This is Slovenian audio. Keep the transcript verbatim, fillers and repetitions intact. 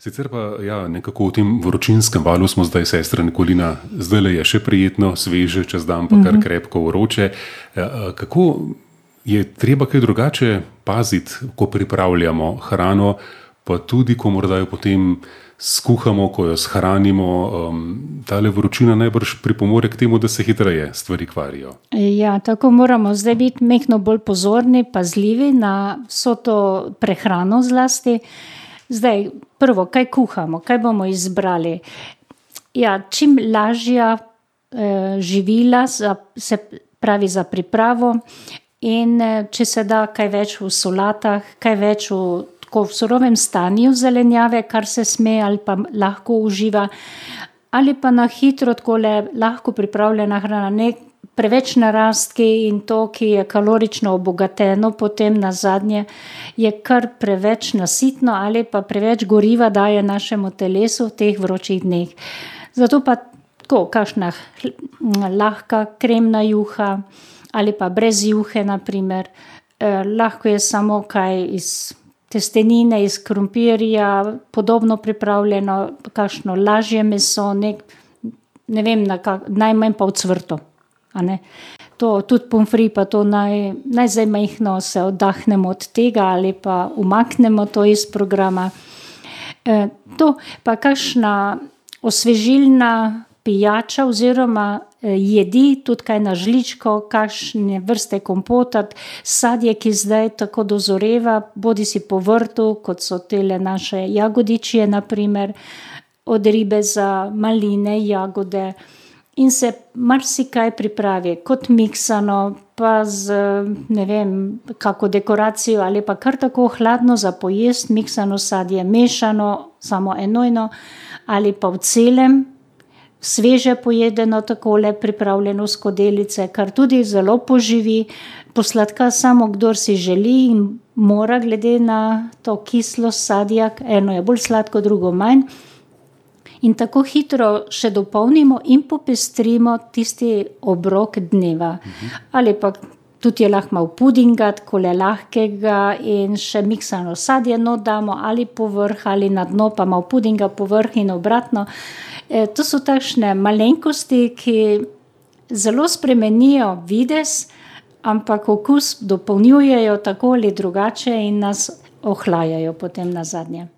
Sicer pa ja, nekako v tem vročinskem valu smo zdaj, sestra Nikolina, zdajle je še prijetno, sveže, čez dan pa kar krepko vroče. Kako je treba kaj drugače paziti, ko pripravljamo hrano, pa tudi, ko morda jo potem skuhamo, ko jo shranimo, um, tale vročina najbrž pripomore k temu, da se hitreje stvari kvarijo. Ja, tako moramo zdaj biti mehno bolj pozorni, pazljivi na vso to prehrano zlasti. Zdaj, prvo, kaj kuhamo, kaj bomo izbrali? Ja, čim lažja eh, živila, za, se pravi za pripravo in eh, če se da kaj več v solatah, kaj več v, tako, v surovem stanju zelenjave, kar se sme ali pa lahko uživa, ali pa na hitro takole lahko pripravljena hrana, ne preveč narastki in to, ki je kalorično obogateno, potem nazadnje je kar preveč nasitno ali pa preveč goriva daje našemu telesu v teh vročih dneh. Zato pa tako, kakšna lahka kremna juha ali pa brez juhe, na primer. Eh, lahko je samo kaj iz testenine, iz krompirja, podobno pripravljeno, kakšno lažje meso, ne, ne vem, na kak, najmanj pa ocvrto. A ne? To, tudi pomfri, pa to naj, naj zdaj majhno se oddahnemo od tega ali pa umaknemo to iz programa. E, to pa kakšna osvežilna pijača oziroma e, jedi, tudi kaj na žličko, kakšne vrste kompota, sadje, ki zdaj tako dozoreva, bodi si po vrtu, kot so tele naše jagodičje, na primer, od ribe za maline, jagode. In se marsikaj pripravi kot miksano, pa z, ne vem, kako dekoracijo ali pa kar tako hladno za pojest, miksano sadje, mešano, samo enojno, ali pa v celem, sveže pojedeno takole, pripravljeno v skodelice, kar tudi zelo poživi, posladka samo kdor si želi in mora glede na to kislost sadja, eno je bolj sladko, drugo manj. In tako hitro še dopolnimo in popestrimo tisti obrok dneva. Uh-huh. Ali pa tudi je lahko malo pudinga, takole lahkega in še miksano sadje not damo ali povrh ali na dno, pa malo pudinga povrh in obratno. E, to so takšne malenkosti, ki zelo spremenijo videz, ampak okus dopolnjujejo tako ali drugače in nas ohlajajo potem nazadnje.